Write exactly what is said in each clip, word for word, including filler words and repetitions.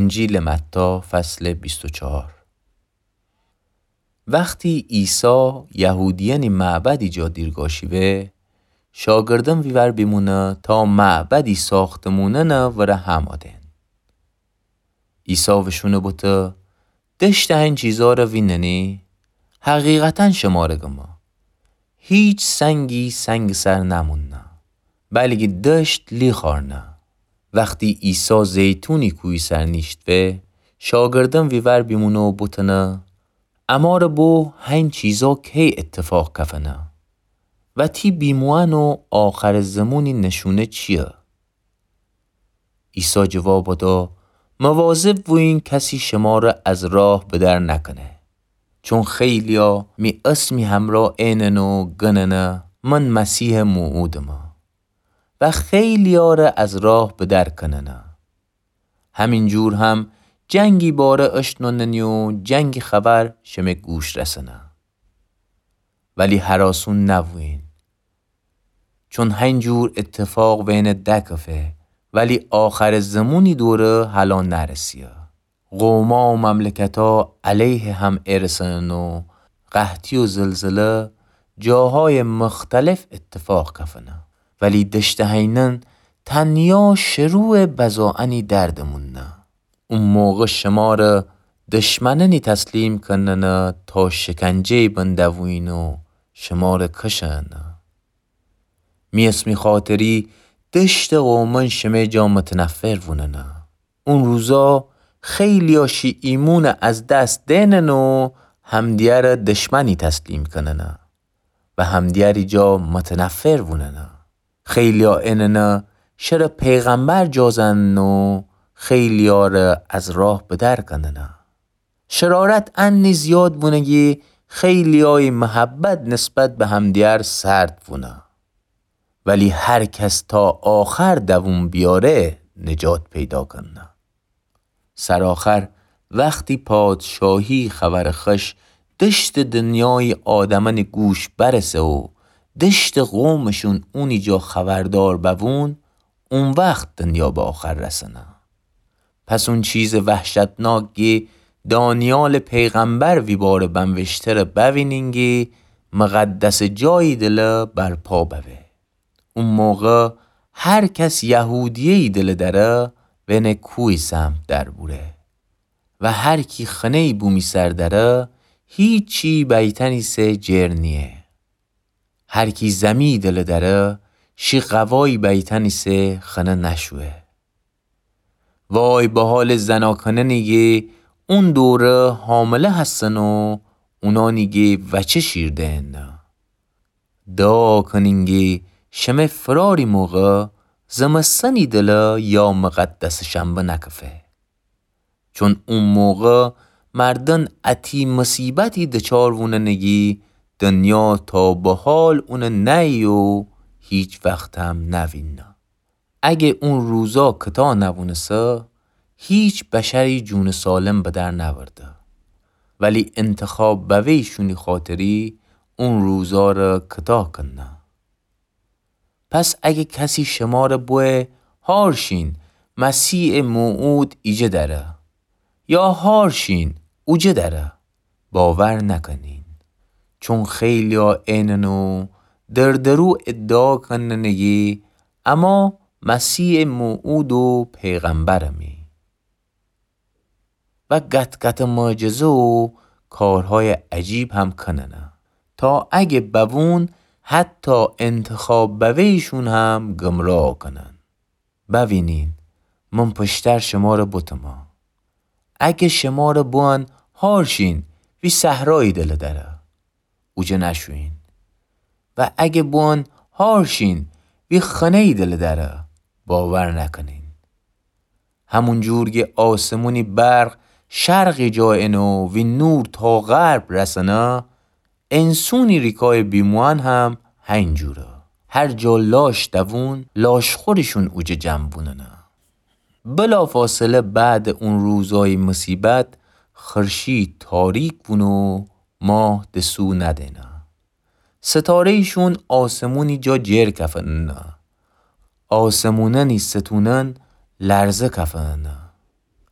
انجیلٚ متی، فصلٚ بیست و چهار. وختی عیسی یهودیأنٚ معبدی جا دیرگا شیوه، شاگردأن ویور بیمونه تا معبدی ساختمونأنٚ وره همأ دئن. عیسی وشونٚ بوته: دشتٚ هین چیزأره ویننی؟ حقیقتاً شمره گمه، هیچ سنگی سنگٚ سر نموننه، بلکی دشت لیخارنه. وختی عیسی زیتونٚ کوهی سر نیشتوه، شاگردأن ویور بیمونه و بوتنه: امره بو هین چیزأ کی ایتفاق کفنه؟ و تی بیموئن و آخرٚ زمونی نشونه چییه؟ عیسی جواب دا: مواظب بویین کسی شمره از راه بدر نکنه. چون خیلی‌یأ می اسمٚ همرأ اینن و گننه من مسیحٚ موعودمه و خیلی‌یأره از راه بدر کننه. همین جور هم جنگی باره اشنوننی و جنگٚ خبر شمه گوش رسنه. ولی هراسون نبویین، چون هین جور ایتفاق وینه دکفه، ولی آخرٚ زمونی دوره هلأ نرسیه. قوما و مملکتا علیه هم ارسنن و قحطی و زلزله جاهایٚ مختلف ایتفاق کفنه. ولی دشتٚ هینأن تنیا شروعٚ بزائنی در دموننه. او موقع شمره دشمنأنی تسلیم کننه تا شکنجه‌یٚ بن دوویین و شمره کشنه. می اسمٚ خاطری دشتٚ قومأن شمه جا متنفر ووننه. او روزا خیلی‌یأ شی ایمونٚ از دس دئنن و همدیگره دشمنی تسلیم کننه و همدیگری جا متنفر ووننه. خیلی‌یأ ایننه شره پیغمبر جا زننه و خیلی‌یأره از راه بدر کننه. شرارت انی زیاد بونه کی خیلی‌یأیی محبت نسبت به همدیگر سرد بونه. ولی هر کس تا آخر دووم بیاره نجات پیدا کنه. سرآخر وختی پادشاهی خبرٚ خوش دشتٚ دنیایی آدمأنی گوش برسه و دشتٚ قومشون اونی جا خبردار بوون، او وخت دنیا به آخر رسنه. پس او چیزٚ وحشتناک کی دانیالٚ پیغمبر ویباره بنوشته‌ره بوینین کی مقدسٚ جایی دله برپا ببه. او موقع هر کس یهودیه‌یی دله دأره وینه کویی سمت در بوره و هر کی خنه‌یی بومی سر دأره هیچی بیتأنی‌سه جر نییه. هر کی زمی‌یی دله دأره شی قوایی بیتأنی‌سه خنه نشویه. وای به حالٚ زناکنأنی کی اون دوره حامله هستن و اونأنی کی وچه شیر دئنه. دعا کنین کی شمه فراری موقع زمستنی دله یا مقدسٚ شنبه نکفه. چون او موقع مردن اتی مصیبتی دچار ووننه کی دنیا تا به حال اونه نأیی و هیچ وختم نوینه. اگه او روزا کتا نوونسه، هیچ بشری جونٚ سالم به در نأورده. ولی انتخاب بوه‌ییشونی خاطری او روزاره کتا کنه. پس اگه کسی شماره بوه هار شین، مسیحٚ موعود ایجه دأره، یا هار شین، اوجه دأره، باور نکنین. چون خیلی‌یا اینن و دردرو ادعا کننه کی اما مسیحٚ موعود و پیغمبرمی. و قط‌قطٚ معجزه و کارهای عجیب هم کننه، تا اگه بوون حتی انتخاب بوه‌ییشون هم گمراه کنن. بوینین، من پشتر شماره بوتمه. اگه شماره بوئن هار شین، وی صحرایی دله دأره، اوجه نشویین. و اگه بوئن هار شین، وی خنه‌یی دله دأره، باور نکنین. همون جور کی آسمونی برق شرقی جا اینه و وی نور تا غرب رسنه، انسونی ریکای بیموئن هم هین جوره. هر جا لاش دوون، لاشخورشون اوجه جمع بوننه. بلافاصله بعدٚ اون روزای مصیبت، خورشید تاریک بونه و ماه دسو ندینه. ستاره‌ییشون آسمونی جا جر کفننه. آسمونأنی ستونأن لرزه کفننه.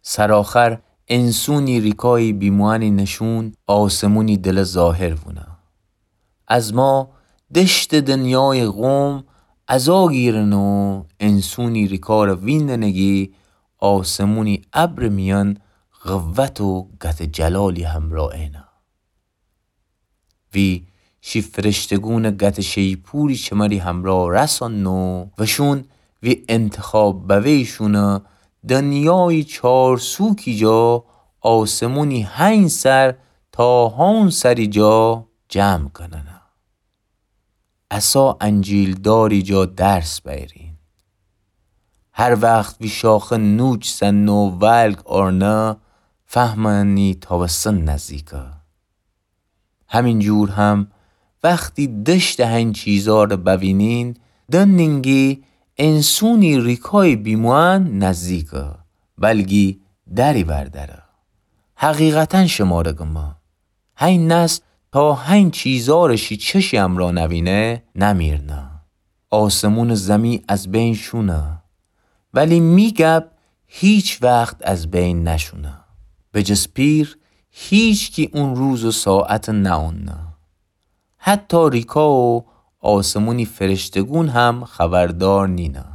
سرآخر انسونی ریکای بیموأنی نشون آسمونی دله ظاهر وونه. از ما دشتٚ دنیایٚ قوم عزا گیرنه و انسونی ریکاره ویندنه گی آسمونی ابرٚ میأن قوت و گتٚ جلالی همرا اینه. وی شی فرشته‌گونٚ گتٚ شیپوری چمری همرا رأسانه و وشون وی انتخاب بوه‌یشونٚ دنیایی چارسوکی جا آسمونی هنج سر تا هون سری جا جمع کننه. عصا انجیل‌داری جا درس بیرین. هر وخت وی شاخه نوچ سنه و ولگ آرنه، فهمنی تابستن نزدیکه. همین جور هم وختی دشتٚ هین چیزاره بوینین، دننین گی انسونی ریکای بیموأن نزدیکه، بلگی دری وردره. حقیقتا شماره گمه، هین نسل تا هین چیزاره شی چشی امرا نوینه، نمیرنه. آسمونٚ زمی از بین شونه، ولی می گب هیچ وخت از بین نشونه. به جز پیر، هیچکی اون روز و ساعت نأوننه. حتی ریکا و آسمونی فرشته‌گون هم خبردار نینه.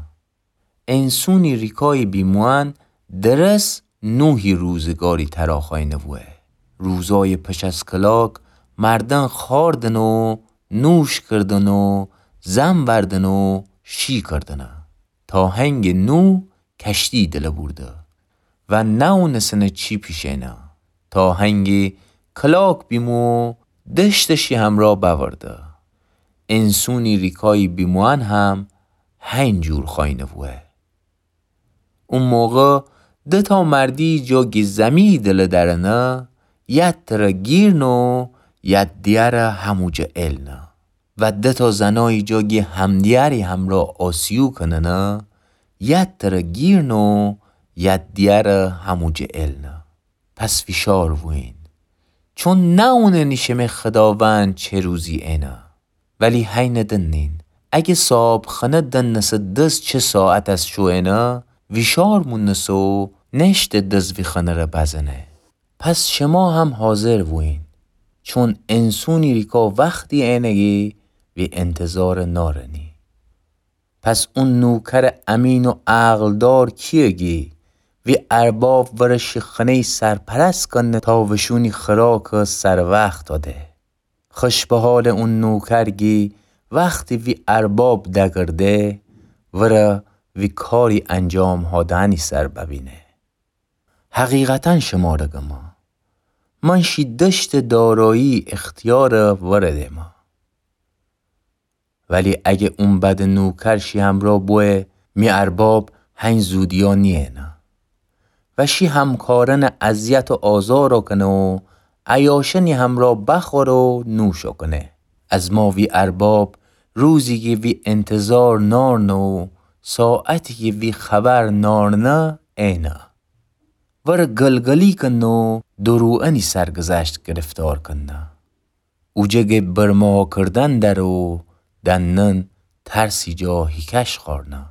انسونی ریکای بیموأن درس نوحی روزگاری تراخاینه بوه. روزای پش از کلاک مردن خوأردن و نوش کردن و زن وردن و شی کردنه. تا هنگٚ نوح کشتی دله بورده و نأونسنه چی پیشینه. تا هنگی کلاک بیمو دشتٚ شی همرا بأورده. انسونی ریکای بیموأن هم هین جور خاینه بوه. او موقع دتا مردی جا گی زمی دله درنه، ید تره گیرنه و ید دیگره هموجه ایلنه. و دتا زنایی جا گی همدیگری همرا آسیو کننه، ید تره گیرنه و ید دیگره هموجه ایلنه. پس ویشار بویین، چون نأوننی شمه خداوند چه روزی اینه. ولی هینه دنین، اگه صاحبخانه دنسه دس چه ساعت از شو اینه، ویشار مونسه و نشته دس وی خانه‌ره بزنه. پس شما هم حاضر بویین، چون انسونی ریکا وختی اینه گی وی انتظار نارنی. پس او نوکر امین و عقلدار کیه گی وی ارباب وره شی خانه‌ی سرپرست کنه تا وشونی خوراک سر وخت داده؟ خوش به حال او نوکر گی وختی وی ارباب دگرده، وره وی کاری انجام هادنی سر ببینه. حقیقتا شماره گمه، من شی دشتٚ دارایی اختیار وره دمه. ولی اگه او بد نوکر شی همرا بوه، می ارباب هین زودیا نیینه و شی همکارن اذیت و آزارا کنه و عیاشنی همرا بخوره و نوشا کنه. از ما وی ارباب روزی گی وی انتظار نارنه و ساعتی گی وی خبر نارنه اینه. وره گلگلی کنه و دروئنی سرگذشت گرفتار کنه. اوجه گی برماکردن دره و دنن ترسی جا هیکش خوأرنه.